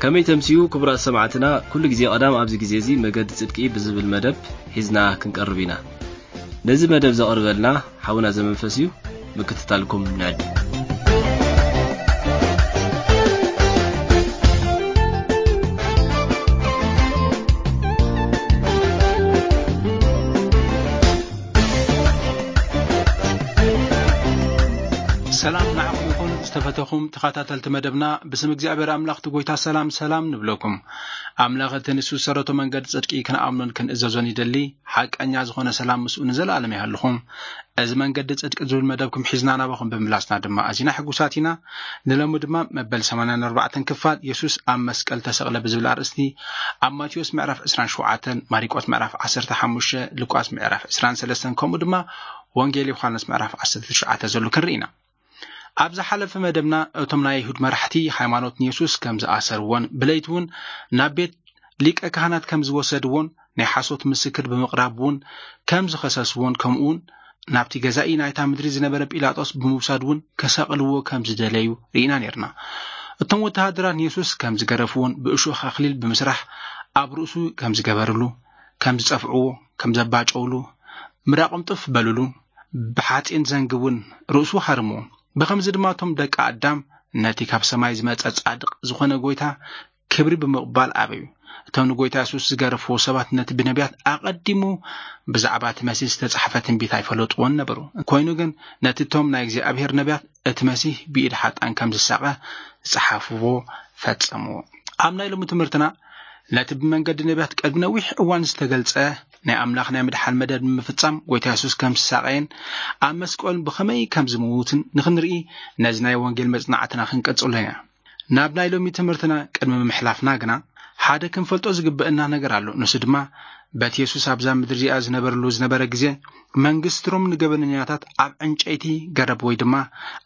ከመይ ተምስዩ ክቡራት ሰማዕትና፣ ኩሉ ግዜ ቀዳም ኣብዚ ግዜ እዚ መገዲ ጽድቂ ብዝብል መደብ ሒዝና ክንቀርብ ኢና። ነዚ መደብ ዘቕርበልና ሓውና ዘመንፈስ እዩ። ምክትታልኩም ንዕድ። ሰላም ንዓኹም ይኹን ዝተፈተኹም ተኸታተልቲ መደብና። ብስም እግዚኣብሔር ኣምላኽ እቲ ጎይታ ሰላም ሰላም ንብለኩም። ኣምላኽ እቲ ንሱ ዝሰረቶ መንገዲ ጽድቂ ክንኣምኖን ክንእዘዞን ይደሊ። ሓቀኛ ዝኾነ ሰላም ምስኡ ንዘለኣለም ይሃልኹም። እዚ መንገዲ ጽድቂ ዝብል መደብኩም ሒዝና ናባኹም ብምምላስና ድማ ኣዚና ሕጉሳት ኢና። ንሎሚ ድማ መበል ሰማንያን ኣርባዕተን ክፋል የሱስ ኣብ መስቀል ተሰቕለ ብዝብል ኣርእስቲ ኣብ ማቴዎስ ምዕራፍ ዕስራን ሸውዓተን፣ ማሪቆስ ምዕራፍ ዓሰርተ ሓሙሽተ፣ ሉቃስ ምዕራፍ ዕስራን ሰለስተን ከምኡ ድማ ወንጌል ዮሃንስ ምዕራፍ ዓሰርተ ትሽዓተ ዘሎ ክንርኢ ኢና። ኣብ ዝሓለፈ መደብና እቶም ናይ ኣይሁድ መራሕቲ ሃይማኖት ንየሱስ ከም ዝኣሰርዎን ብለይቲ እውን ናብ ቤት ሊቀ ካህናት ከም ዝወሰድዎን ናይ ሓሶት ምስክር ብምቕራብ እውን ከም ዝኸሰስዎን ከምኡ እውን ናብቲ ገዛኢ ናይታ ምድሪ ዝነበረ ጲላጦስ ብምውሳድ እውን ከሰቕልዎ ከም ዝደለዩ ርኢና ነርና። እቶም ወተሃደራት ንየሱስ ከም ዝገረፍዎን ብእሾኽ ኣኽሊል ብምስራሕ ኣብ ርእሱ ከም ዝገበርሉ፣ ከም ዝጸፍዕዎ፣ ከም ዘባጨውሉ፣ ምራቕም ጥፍ በልሉ፣ ብሓጺን ዘንግውን ርእሱ ሃርምዎ። ብኸምዚ ድማ እቶም ደቂ ኣዳም ነቲ ካብ ሰማይ ዝመጸ ጻድቕ ዝኾነ ጎይታ ክብሪ ብምቕባል ኣበዩ። እቶም ንጎይታ የሱስ ዝገረፍዎ ሰባት ነቲ ብነቢያት ኣቐዲሙ ብዛዕባ እቲ መሲህ ዝተጻሕፈ ትንቢት ኣይፈለጥዎን ነበሩ። ኮይኑ ግን ነቲ እቶም ናይ እግዚኣብሔር ነቢያት እቲ መሲህ ብኢድ ሓጣን ከም ዝሳቐ ዝጸሓፍዎ ፈጸምዎ። ኣብ ናይ ሎሚ ትምህርትና ነቲ ብመንገዲ ነቢያት ቅድሚ ነዊሕ እዋን ዝተገልጸ ናይ ኣምላኽ ናይ ምድሓን መደብ ንምፍጻም ጎይታ የሱስ ከም ዝሳቐየን ኣብ መስቀሉን ብኸመይ ከም ዝምውትን ንኽንርኢ ነዚ ናይ ወንጌል መጽናዕትና ክንቀጽሎ ኢና። ናብ ናይ ሎሚ ትምህርትና ቅድሚ ምሕላፍና ግና ሓደ ክንፈልጦ ዝግበአና ነገር ኣሎ። ንሱ ድማ በቲ የሱስ ኣብዛ ምድሪ እዚኣ ዝነበረሉ ዝነበረ ግዜ መንግስቲ ሮም ንገበነኛታት ኣብ ዕንጨይቲ ገረብ ወይ ድማ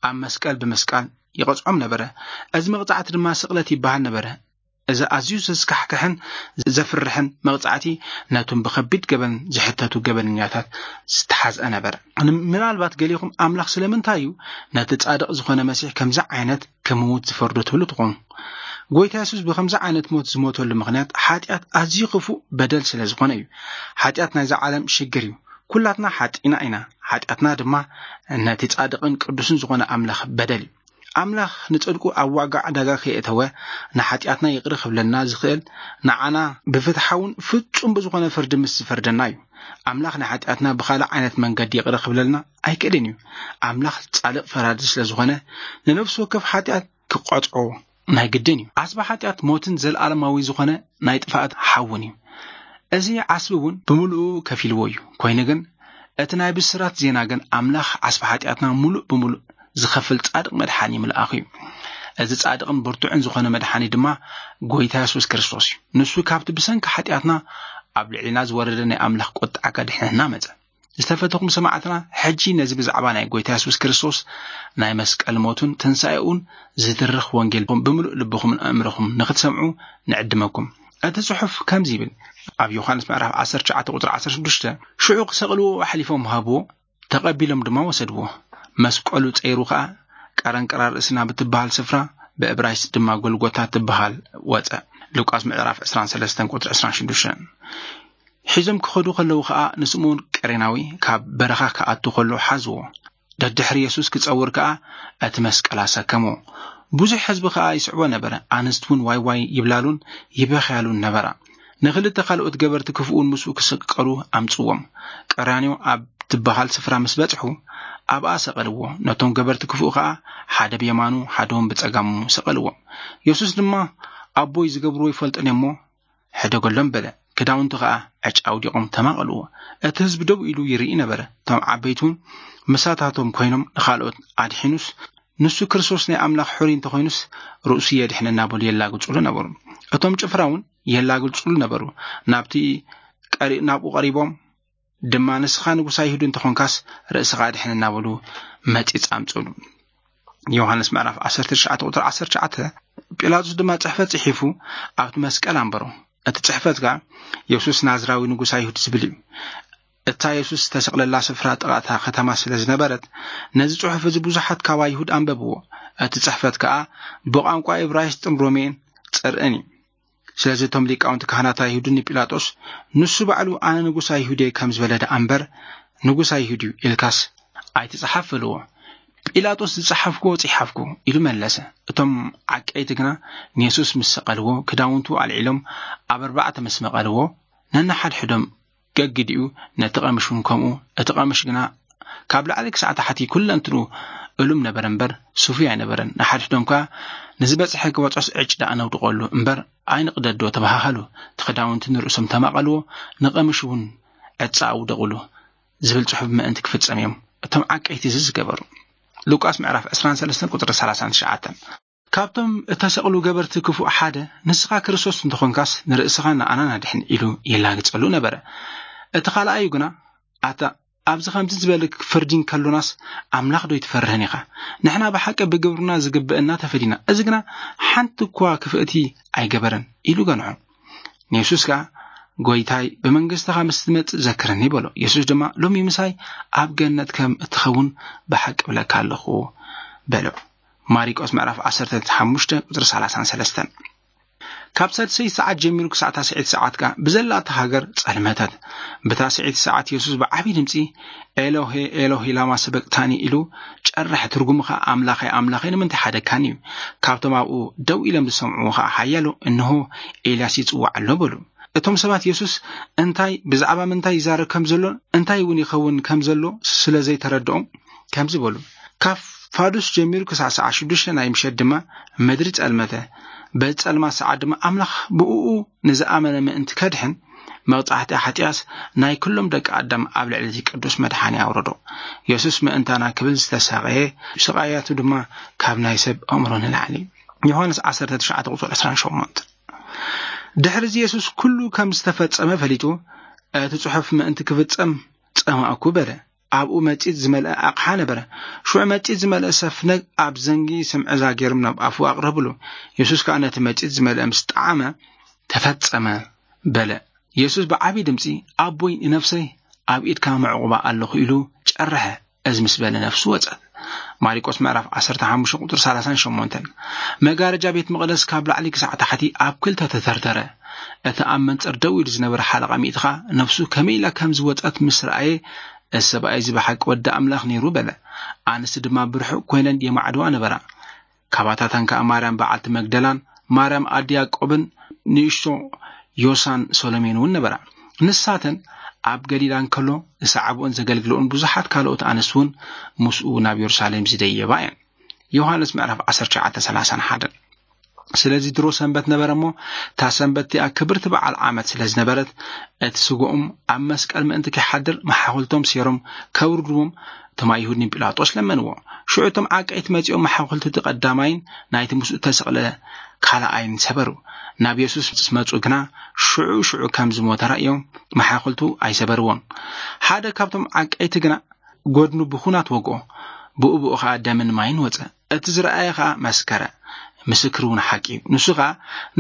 ኣብ መስቀል ብምስቃል ይቐጽዖም ነበረ። እዚ መቕጻዕቲ ድማ ስቕለት ይበሃል ነበረ። እዚ ኣዝዩ ዘስካሕክሕን ዘፍርሕን መቕጻዕቲ ነቶም ብኸቢድ ገበን ዝሕተቱ ገበነኛታት ዝተሓዝአ ነበረ። ምናልባት ገሊኹም ኣምላኽ ስለምንታይ እዩ ነቲ ጻድቕ ዝኾነ መሲሕ ከምዚ ዓይነት ክምውት ዝፈርዶ ትብሉ ትኾኑ። ጎይታ የሱስ ብኸምዚ ዓይነት ሞት ዝሞተሉ ምኽንያት ሓጢኣት ኣዝዩ ክፉእ በደል ስለ ዝኾነ እዩ። ሓጢኣት ናይዛ ዓለም ሽግር እዩ። ኩላትና ሓጢና ኢና። ሓጢኣትና ድማ ነቲ ጻድቕን ቅዱስን ዝኾነ ኣምላኽ በደል እዩ። ኣምላኽ ንጽድቁ ኣብ ዋጋ ዕዳጋ ከየእተወ ንሓጢኣትና ይቕሪ ክብለና ዝኽእል ንዓና ብፍትሓውን ፍጹም ብዝኾነ ፍርዲ ምስ ዝፈርደና እዩ። ኣምላኽ ንሓጢኣትና ብኻልእ ዓይነት መንገዲ ይቕሪ ክብለልና ኣይክእልን እዩ። ኣምላኽ ጻድቕ ፈራዲ ስለ ዝኾነ ንነፍሲ ወከፍ ሓጢኣት ክቐጽዖ ናይ ግድን እዩ። ኣስባ ሓጢኣት ሞትን ዘለኣለማዊ ዝኾነ ናይ ጥፍኣት ሓውን እዩ። እዚ ዓስቢ እውን ብምሉኡ ከፊልዎ እዩ። ኮይኑ ግን እቲ ናይ ብስራት ዜና ግን ኣምላኽ ዓስቢ ሓጢኣትና ምሉእ ብምሉእ ዝኸፍል ጻድቕ መድሓኒ ምልኣኹ እዩ። እዚ ጻድቕን ብርቱዕን ዝኾነ መድሓኒ ድማ ጎይታ የሱስ ክርስቶስ እዩ። ንሱ ካብቲ ብሰንኪ ሓጢኣትና ኣብ ልዕሊና ዝወረደ ናይ ኣምላኽ ቁጥዓ ከድሕነና መጸ። ዝተፈተኹም ሰማዕትና፣ ሕጂ ነዚ ብዛዕባ ናይ ጎይታ የሱስ ክርስቶስ ናይ መስቀል ሞቱን ትንሳኤኡን ዝድርኽ ወንጌል ብምሉእ ልብኹምን ኣእምሮኹም ንኽትሰምዑ ንዕድመኩም። እቲ ጽሑፍ ከምዚ ይብል፣ ኣብ ዮሃንስ ምዕራፍ ዓሰርተ ትሽዓተ ቁጽሪ ዓሰርተ ሽዱሽተ፣ ሽዑ ክሰቕልዎ ኣሕሊፎም ሃብዎ፣ ተቐቢሎም ድማ ወሰድዎ። መስቀሉ ጸይሩ ኸኣ ቀረንቀራ ርእሲ ናብ እትበሃል ስፍራ፣ ብዕብራይስጥ ድማ ጎልጎታ ትበሃል፣ ወጸ። ሉቃስ ምዕራፍ ዕስራን ሰለስተን ቁጽሪ ዕስራን ሽዱሽተን። ሒዞም ክኸዱ ከለዉ ኸኣ ንስምኦን ቀሬናዊ ካብ በረኻ ክኣቱ ኸሎ ሓዝዎ። ደድሕሪ የሱስ ክጸውር ከኣ እቲ መስቀል ኣሰከሞ። ብዙሕ ህዝቢ ከኣ ይስዕቦ ነበረ። ኣንስቲ እውን ዋይ ዋይ ይብላሉን ይበኽያሉን ነበራ። ንኽልተ ካልኦት ገበርቲ ክፍኡን ምስኡ ክስቀሉ ኣምጽዎም። ቀራንዮ ኣብ ትበሃል ስፍራ ምስ በጽሑ ኣብኣ ሰቐልዎ። ነቶም ገበርቲ ክፍኡ ከኣ ሓደ ብየማኑ ሓደ እውን ብጸጋሙ ሰቐልዎም። የሱስ ድማ ኣቦይ ዝገብርዎ ይፈልጡን እሞ ሕደገሎም በለ። ክዳውንቱ ኸኣ ዕጫ ኣውዲቖም ተማቐልዎ። እቲ ህዝቢ ደው ኢሉ ይርኢ ነበረ። እቶም ዓበይቲ እውን ምሳታቶም ኮይኖም ንኻልኦት ኣድሒኑስ ንሱ ክርስቶስ ናይ ኣምላኽ ሕሩይ እንተኾይኑስ ርእሱ የድሕን እናበሉ የላግጹሉ ነበሩ። እቶም ጭፍራ እውን የላግጹሉ ነበሩ። ናብቲ ቀሪ-፣ ናብኡ ቀሪቦም ድማ ንስኻ ንጉስ ኣይሁድ እንተኾንካስ ርእስኻ ኣድሕን እናበሉ መጺጽ ኣምጽሉ። ዮሃንስ ምዕራፍ ዓሰርተ ትሽዓተ ቁጽሪ ዓሰርተ ትሽዓተ። ጲላጦስ ድማ ጽሕፈት ጽሒፉ ኣብቲ መስቀል ኣንበሮ። እቲ ጽሕፈት ከኣ የሱስ ናዝራዊ ንጉስ ኣይሁድ ዝብል እዩ። እታ የሱስ ዝተሰቕለላ ስፍራ ጥቓ እታ ከተማ ስለ ዝነበረት ነዚ ጽሑፍ እዚ ብዙሓት ካብ ኣይሁድ ኣንበብዎ። እቲ ጽሕፈት ከኣ ብቋንቋ እብራይስጥን ሮሜን ኣይጸርዕን እዩ። ስለዚ እቶም ሊቃውንቲ ካህናት ኣይሁድን ንጲላጦስ፣ "ንሱ ባዕሉ ኣነ ንጉስ ኣይሁድ እየ ከም ዝበለ ደኣ እምበር ንጉስ ኣይሁድ እዩ ኢልካስ ኣይትጽሓፍ" በልዎ። ጲላጦስ "ዝጸሓፍኩዎ ጽሓፍኩ" ኢሉ መለሰ። እቶም ዓቀይቲ ግና ንየሱስ ምስ ሰቐልዎ፣ ክዳውንቱ ኣልዒሎም ኣብ ኣርባዕተ ምስ መቐልዎ፣ ነንሓድሕዶም ገጊዲኡ፣ ነቲ ቀምሽ እውን ከምኡ። እቲ ቀምሽ ግና ካብ ላዕሊ ክሳዕ ታሕቲ ኩለንትኑ እሉም ነበረ እምበር ስፉይ ኣይነበረን። ንሓድሕዶም ከኣ "ንዝበጽሐ ክበጽሖስ ዕጭ ደኣ ነውድቐሉ እምበር ኣይንቕደዶ" ተባሃሃሉ። እቲ ክዳውንቲ ንርእሶም ተማቐልዎ፣ ንቐምሽ እውን ዕጻ ኣውደቑሉ ዝብል ጽሑፍ ምእንቲ ክፍጸም እዮም እቶም ዓቀይቲ እዚ ዝገበሩ። ሉቃስ ምዕራፍ ዕስራን ሰለስተን ቁጽሪ ሰላሳን ትሽዓተን። ካብቶም እተሰቕሉ ገበርቲ ክፉእ ሓደ፣ "ንስኻ ክርስቶስ እንተኾንካስ ንርእስኻን ንኣናን ኣድሕን" ኢሉ ይላግጸሉ ነበረ። እቲ ካልኣዩ ግና፣ "ኣታ ኣብዚ ከምዚ ዝበለ ፍርዲ እንከሎናስ ኣምላኽ ዶ ኣይትፈርህን ኢኻ? ንሕና ብሓቂ ብግብርና ዝግብእና ተፈዲና፣ እዚ ግና ሓንቲ እኳ ክፍእቲ ኣይገበረን" ኢሉ ገንሖ። ንየሱስ ከኣ፣ "ጐይታይ፣ ብመንግስትኻ ምስ ትመጽእ ዘክረኒ" በሎ። የሱስ ድማ፣ "ሎሚ ምሳይ ኣብ ገነት ከም እትኸውን ብሓቂ እብለካ ኣለኹ" በሎ። ማሪቆስ ምዕራፍ ዓሰርተ ሓሙሽተ ቁጽሪ ሰላሳን ሰለስተን። ካብ ሳድሰይቲ ሰዓት ጀሚሩ ክሳዕ ታስዐይቲ ሰዓት ከኣ ብዘላ እታ ሃገር ጸልመተት። ብታስዐይቲ ሰዓት የሱስ ብዓቢ ድምጺ፣ "ኤሎሄ፣ ኤሎሄ፣ ላማ ሰበቅታኒ?" ኢሉ ጨርሐ። ትርጉሙ ከኣ፣ "ኣምላኸይ፣ ኣምላኸይ፣ ንምንታይ ሓደግካኒ?" እዩ። ካብቶም ኣብኡ ደው ኢሎም ዝሰምዕዎ ከኣ ሓያሎ፣ "እንሆ፣ ኤልያስ ይጽዋዕ ኣሎ" በሉ። እቶም ሰባት የሱስ እንታይ፣ ብዛዕባ ምንታይ ይዛረብ ከም ዘሎን እንታይ እውን ይኸውን ከም ዘሎ ስለ ዘይተረድኦም ከምዚ በሉ። ካብ ፋዱስ ጀሚሩ ክሳዕ ሰዓት ሽዱሽተ ናይ ምሸት ድማ ምድሪ ጸልመተ። በዚ ጸልማት ሰዓት ድማ ኣምላኽ ብእኡ ንዝኣመነ ምእንቲ ከድሕን፣ መቕጻሕቲ ሓጢኣስ ናይ ኩሎም ደቂ ኣዳም ኣብ ልዕሊ እቲ ቅዱስ መድሓኒ ኣውረዶ። የሱስ ምእንታና ክብል ዝተሳቐየ፣ ስቓያቱ ድማ ካብ ናይ ሰብ ኣእምሮ ንላዕሊ እዩ። ዮሃንስ ዓሰርተ ትሽዓተ ቁጽሪ ዕስራን ሸሞንተን። ድሕሪ እዚ የሱስ ኩሉ ከም ዝተፈጸመ ፈሊጡ፣ "እቲ ጽሑፍ ምእንቲ ክፍጸም ጸማእኩ" በለ። ኣብኡ መጺጽ ዝመልአ ኣቕሓ ነበረ። ሽዑ መጺጽ ዝመልአ ሰፍነግ ኣብ ዘንጊ ስምዕዛ ገይሮም ናብ ኣፉ ኣቕረብሉ። የሱስ ከኣ ነቲ መጺጽ ዝመልአ ምስ ጠዓመ፣ "ተፈጸመ" በለ። የሱስ ብዓቢ ድምጺ፣ "ኣቦይ፣ ንነፍሰይ ኣብ ኢድካ መዕቑባ ኣለኹ" ኢሉ ጨርሐ። እዚ ምስ በለ ነፍሱ ወጸት። ማሪቆስ ምዕራፍ ዓሰርተ ሓሙሽተ ቁጽሪ ሰላሳን ሸሞንተን። መጋረጃ ቤት መቕደስ ካብ ላዕሊ ክሳዕ ታሕቲ ኣብ ክልተ ተተርተረ። እቲ ኣብ መንጸር ደው ኢሉ ዝነበረ ሓለቓ ሚእቲ ኸኣ ነፍሱ ከመይ ኢላ ከም ዝወጸት ምስ ረኣየ፣ "እዚ ሰብኣይ እዚ ብሓቂ ወዲ ኣምላኽ ነይሩ" በለ። ኣንስቲ ድማ ብርሑቕ ኮይነን የማዕድዋ ነበራ። ካባታተን ከኣ ማርያም በዓልቲ መግደላን ማርያም ኣዲ ያዕቆብን ንእሽቶ ዮሳን ሰሎሜን እውን ነበራ። ንሳተን ኣብ ገሊላ እንከሎ ዝሰዓብኦን ዘገልግልኦን ብዙሓት ካልኦት ኣንስቲ እውን ምስኡ ናብ የሩሳሌም ዝደየባ እየን። ዮሃንስ ምዕራፍ ዓሰርተ ትሽዓተ ሰላሳን ሓደን። ስለዚ ድሮ ሰንበት ነበረ እሞ፣ እታ ሰንበት እቲኣ ክብርቲ በዓል ዓመት ስለ ዝነበረት፣ እቲ ስግኦም ኣብ መስቀል ምእንቲ ከይሓድር መሓኹልቶም ሴሮም ከውርድዎም እቶም ኣይሁድ ንጲላጦስ ለመንዎ። ሽዑ እቶም ዓቀይቲ መጺኦም መሓኹልቲ እቲ ቀዳማይን ናይቲ ምስኡ እተሰቕለ ካልኣይን ሰበሩ። ናብ የሱስ ምስ መጹ ግና ሽዑ ሽዑ ከም ዝሞተ ረእዮም፣ መሓኹልቱ ኣይሰበርዎን። ሓደ ካብቶም ዓቀይቲ ግና ጎድኑ ብኹናት ወግኦ፣ ብኡ ብኡ ኸኣ ደምን ማይን ወጸ። እቲ ዝረኣየ ኸኣ መስከረ፣ ምስክር እውን ሓቂ እዩ። ንሱ ኸኣ፣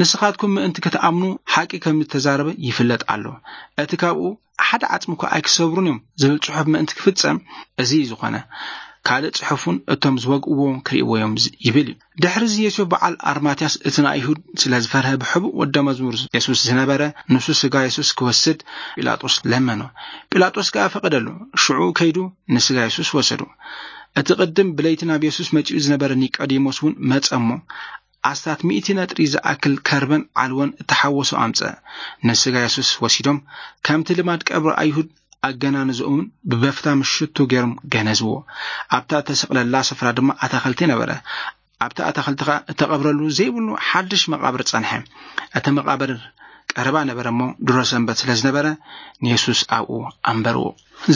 "ንስኻትኩም ምእንቲ ክትኣምኑ ሓቂ ከም እተዛረበ ይፍለጥ ኣሎ። እቲ ካብኡ ሓደ ዓጽሚ እኳ ኣይክሰብሩን እዮም" ዝብል ጽሑፍ ምእንቲ ክፍጸም፣ እዚ እዩ ዝኾነ። ካልእ ጽሑፍ እውን፣ "እቶም ዝወግእዎ ክርእይዎ እዮም" ዝ-፣ ይብል እዩ። ድሕሪ እዚ የሱስ በዓል ኣርማትያስ እቲ ንኣይሁድ ስለ ዝፈርሀ፣ ብሕቡእ ወደ መዝሙር የሱስ ዝነበረ፣ ንሱ ስጋ የሱስ ክወስድ ጲላጦስ ለመኖ። ጲላጦስ ከኣ ፈቐደሉ። ሽዑ ከይዱ ንስጋ የሱስ ወሰዱ። እቲ ቅድም ብለይቲ ናብ የሱስ መጺኡ ዝነበረ ኒቆዲሞስ እውን መጸ እሞ፣ ኣስታት ሚእቲ ነጥሪ ዝኣክል ከርበን ዓልቦን እተሓወሶ ኣምጸ። ንስጋ የሱስ ወሲዶም፣ ከምቲ ልማድ ቀብሪ ኣይሁድ ኣገናንዝኦምን ብበፍታ ምሽቱ ገይሮም ገነዝዎ። ኣብታ እተሰቕለላ ስፍራ ድማ ኣታኽልቲ ነበረ። ኣብቲ ኣታኽልቲ ኸኣ እተቐብረሉ ዘይብሉ ሓድሽ መቓብር ጸንሐ። እቲ መቓብር ቀረባ ነበረ እሞ፣ ድሮ ሰንበት ስለ ዝነበረ፣ ንየሱስ ኣብኡ ኣንበርዎ።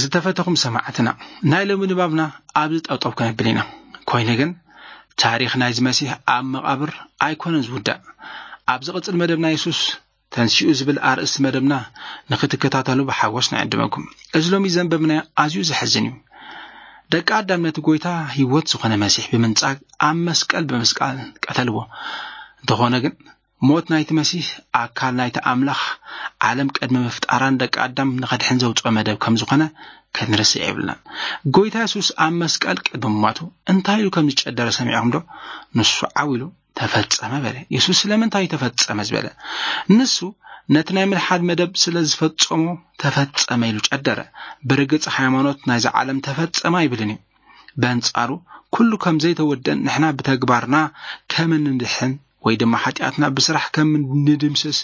ዝተፈተኹም ሰማዕትና፣ ናይ ሎሚ ንባብና ኣብዚ ጠጠው ከነብል ኢና። ኮይኑ ግን፣ ታሪኽ ናይዚ መሲሕ ኣብ መቓብር ኣይኮነን ዝውዳእ። ኣብ ዝቕጽል መደብና፣ "የሱስ ተንሲኡ" ዝብል ኣርእስቲ መደብና ንኽትከታተሉ ብሓጎስ ንዕድመኩም። እዚ ሎሚ ዘንበብናዮ ኣዝዩ ዘሕዝን እዩ። ደቂ ኣዳም ነቲ ጐይታ ህይወት ዝኾነ መሲሕ ብምንጻግ ኣብ መስቀል ብምስቃል ቀተልዎ። እንተኾነ ግን፣ ሞት ናይቲ መሲሕ፣ ኣካል ናይቲ ኣምላኽ ዓለም ቅድሚ ምፍጣራን ደቂ ኣዳም ንኸድሕን ዘውጽኦ መደብ ከም ዝኾነ ክንርስዕ የብልናን። ጐይታ የሱስ ኣብ መስቀል ቅድሚ ምሟቱ እንታይ ኢሉ ከም ዝጨደረ ሰሚዕኹም ዶ? ንሱ ዓው ኢሉ "ተፈጸመ" በለ። የሱስ ስለምንታይ "ተፈጸመ" ዝበለ? ንሱ ነቲ ናይ ምድሓን መደብ ስለ ዝፈጸሞ "ተፈጸመ" ኢሉ ጨደረ። ብርግጽ ሃይማኖት ናይዚ ዓለም "ተፈጸመ" ኣይብልን እዩ። በንጻሩ፣ ኩሉ ከም ዘይተወደን ንሕና ብተግባርና ከም እንድሕን ወይ ድማ ሓጢኣትና ብስራሕ ከም ንድምስስ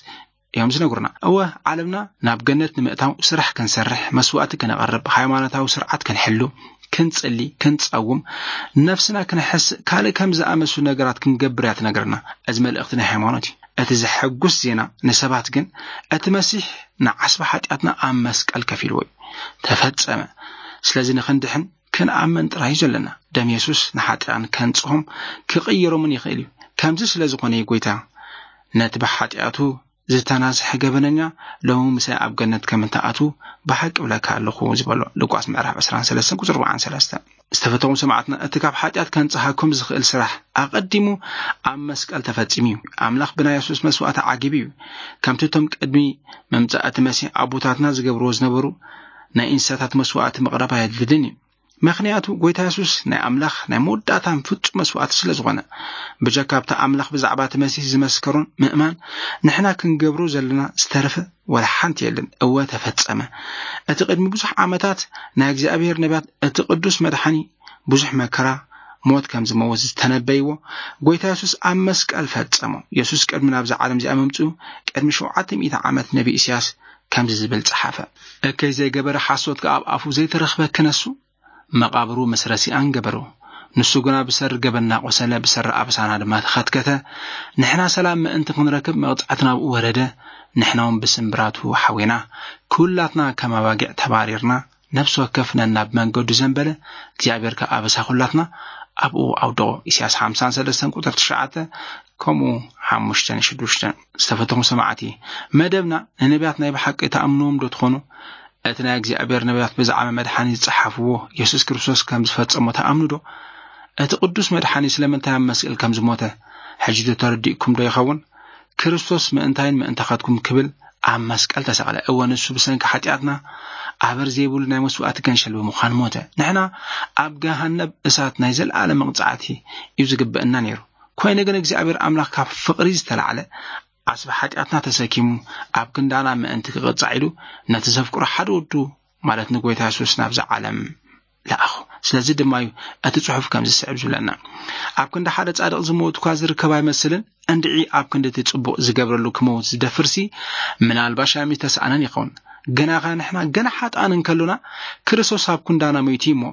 እዮም ዝነግሩና። እወ፣ ዓለምና ናብ ገነት ንምእታው ስራሕ ክንሰርሕ፣ መስዋእቲ ከነቐርብ፣ ሃይማኖታዊ ስርዓት ክንሕሉ፣ ክንጽሊ፣ ክንጸውም፣ ነፍስና ክንሕስ፣ ካልእ ከም ዝኣመሱ ነገራት ክንገብር እያ ትነግረና። እዚ መልእኽቲ ናይ ሃይማኖት እዩ። እቲ ዘሐጉስ ዜና ንሰባት ግን፣ እቲ መሲሕ ንዓስቢ ሓጢኣትና ኣብ መስቀል ከፊልዎ እዩ። "ተፈጸመ።" ስለዚ ንኽንድሕን ክንኣምን ጥራይ እዩ ዘለና። ደም የሱስ ንሓጢኣን ከንጽሆም ክቕይሮምን ይኽእል እዩ። ከምዚ ስለ ዝኾነ እዩ ጎይታ ነቲ ብሓጢኣቱ ዝተናዝሐ ገበነኛ ሎሚ ምሳይ ኣብ ገነት ከም እትኣትዉ ብሓቂ እብለካ ኣለኹ ዝበሎ። ሉቃስ ምዕራፍ ዕስራን ሰለስተን ቁጽሪ ኣርባዓን ሰለስተን። ዝተፈተኹም ሰማዕትና፣ እቲ ካብ ሓጢኣት ከንጽሃኩም ዝኽእል ስራሕ ኣቐዲሙ ኣብ መስቀል ተፈጺሙ እዩ። ኣምላኽ ብናይ የሱስ መስዋእቲ ዓጊቡ እዩ። ከምቲ እቶም ቅድሚ ምምጻእ እቲ መሲሕ ኣቦታትና ዝገብርዎ ዝነበሩ ናይ እንስሳታት መስዋእቲ ምቕራብ ኣየድልድን እዩ። ምኽንያቱ ጎይታ የሱስ ናይ ኣምላኽ ናይ መወዳእታን ፍጹም መስዋእቲ ስለ ዝኾነ። ብጀካ ኣብቲ ኣምላኽ ብዛዕባ እቲ መሲሕ ዝመስከሮን ምእማን፣ ንሕና ክንገብሮ ዘለና ዝተረፈ ወላ ሓንቲ የለን። እወ፣ ተፈጸመ። እቲ ቅድሚ ብዙሕ ዓመታት ናይ እግዚኣብሔር ነቢያት እቲ ቅዱስ መድሓኒ ብዙሕ መከራ፣ ሞት ከም ዝመውት ዝተነበይዎ፣ ጎይታ የሱስ ኣብ መስቀል ፈጸሞ። የሱስ ቅድሚ ናብዛ ዓለም እዚኣ ምምጽኡ ቅድሚ ሸውዓተ ሚእቲ ዓመት ነቢ ኢሳያስ ከምዚ ዝብል ጸሓፈ። "እከይ ዘይገበረ ሓሶት ከኣ ኣብ ኣፉ ዘይተረኽበ ክነሱ፣ መቓብሩ ምስ ረሲኣን ገበሩ። ንሱ ግና ብሰሪ ገበንና ቆሰለ፣ ብሰሪ ኣበሳና ድማ ተኸትከተ። ንሕና ሰላም ምእንቲ ክንረክብ መቕጻዕቲ ናብኡ ወረደ፣ ንሕና እውን ብስምብራቱ ሓዌና። ኩላትና ከም ኣባጊዕ ተባሪርና፣ ነፍሲ ወከፍ ነናብ መንገዱ ዘንበለ፣ እግዚኣብሔር ከኣ ኣበሳ ኩላትና ኣብኡ ኣውደቖ።" ኢሳያስ ሓምሳን ሰለስተን ቁጽሪ ትሽዓተ፣ ከምኡ ሓሙሽተን ሽዱሽተን። ዝተፈተኹም ሰማዕቲ፣ መደብና ንነቢያት ናይ ብሓቂ ተኣምንዎም ዶ ትኾኑ? እቲ ናይ እግዚኣብሔር ነቢያት ብዛዕባ መድሓኒ ዝጸሓፍዎ፣ የሱስ ክርስቶስ ከም ዝፈጸሞ ተኣምኑ ዶ? እቲ ቅዱስ መድሓኒ ስለምንታይ ኣብ መስቀል ከም ዝሞተ ሕጂ ዶ ተረዲእኩም ዶ ይኸውን? "ክርስቶስ ምእንታይን ምእንታኻትኩም ክብል ኣብ መስቀል ተሰቕለ። እወ፣ ንሱ ብሰንኪ ሓጢኣትና ኣበር ዘይብሉ ናይ መስዋእቲ ገንሸል ብምዃን ሞተ። ንሕና ኣብ ገሃነብ እሳት ናይ ዘለኣለም መቕጻዕቲ እዩ ዝግበአና ነይሩ። ኮይኑ ግን እግዚኣብሔር ኣምላኽ ካብ ፍቕሪ ዝተላዕለ ዓስቢ ሓጢኣትና ተሰኪሙ ኣብ ክንዳና ምእንቲ ክቕጻዕ ኢሉ ነቲ ዘፍቅሮ ሓደ ወዱ፣ ማለት ንጎይታ የሱስ ናብዛ ዓለም ለኣኹ። ስለዚ ድማ እዩ እቲ ጽሑፍ ከምዚ ዝስዕብ ዝብለና። ኣብ ክንዲ ሓደ ጻድቕ ዝመውት እኳ ዝርከብ ኣይመስልን፣ እንድዒ ኣብ ክንዲ እቲ ጽቡቕ ዝገብረሉ ክመውት ዝደፍርሲ ምናልባሽ ኣይምተሰኣነን ይኸውን። ግናኸ ንሕና ገና ሓጥኣን እንከሎና ክርስቶስ ኣብ ክንዳና ሞይቱ እሞ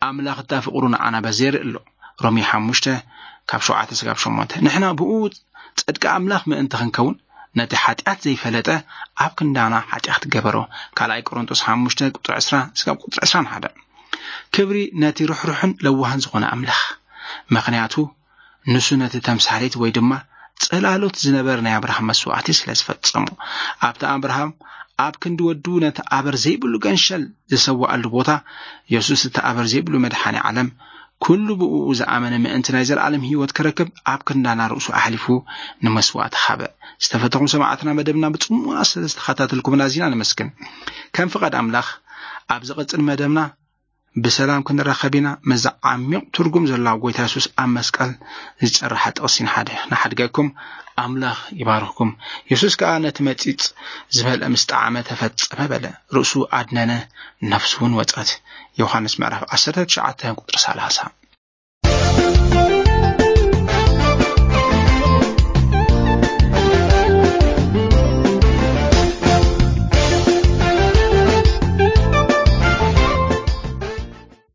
ኣምላኽ እታ ፍቕሩ ንዓና በዚ የርኢ ኣሎ። ሮሜ ሓሙሽተ ካብ ሸውዓተ ስጋብ ሸሞንተ። ንሕና ብኡ ጽድቂ ኣምላኽ ምእንቲ ክንከውን ነቲ ሓጢኣት ዘይፈለጠ ኣብ ክንዳና ሓጢኣት ገበሮ። ካልኣይ ቆሮንቶስ ሓሙሽተ ቁጽሪ ዕስራ ስጋብ ቁጽሪ ዕስራን ሓደ። ክብሪ ነቲ ርሕሩሕን ለዋህን ዝኾነ ኣምላኽ። ምኽንያቱ ንሱ ነቲ ተምሳሌት ወይ ድማ ጽላሎት ዝነበረ ናይ ኣብርሃም መስዋዕቲ ስለ ዝፈጸሙ። ኣብቲ ኣብርሃም ኣብ ክንዲ ወዱ ነቲ ኣበር ዘይብሉ ገንሸል ዝሰዋኣሉ ቦታ፣ የሱስ እቲ ኣበር ዘይብሉ መድሓኒ ዓለም፣ ኩሉ ብእኡ ዝኣመነ ምእንቲ ናይ ዘለኣለም ህይወት ክረክብ ኣብ ክንዳና ርእሱ ኣሕሊፉ ንመስዋእቲ ሃበ። ዝተፈተኹም ሰማዕትና፣ መደብና ብጽሞና ስለ ዝተኸታተልኩምና ኣዚና ነመስግን። ከም ፍቓድ ኣምላኽ ኣብ ዝቐጽል መደብና ብሰላም ክንራኸብ ኢና። ምስዚ ዓሚቕ ትርጉም ዘለዋ ጎይታ የሱስ ኣብ መስቀል ዝጨረሓ ጥቕሲ ንሓደ-፣ ንሓድገኩም። ኣምላኽ ይባርኽኩም። የሱስ ከኣ ነቲ መጺጽ ዝመልአ ምስ ጠዓመ፣ "ተፈጸመ" በለ። ርእሱ ኣድነነ፣ ነፍሱ እውን ወጸት። ዮሃንስ ምዕራፍ ዓሰርተ ትሽዓተ ቁጽሪ ሰላሳ።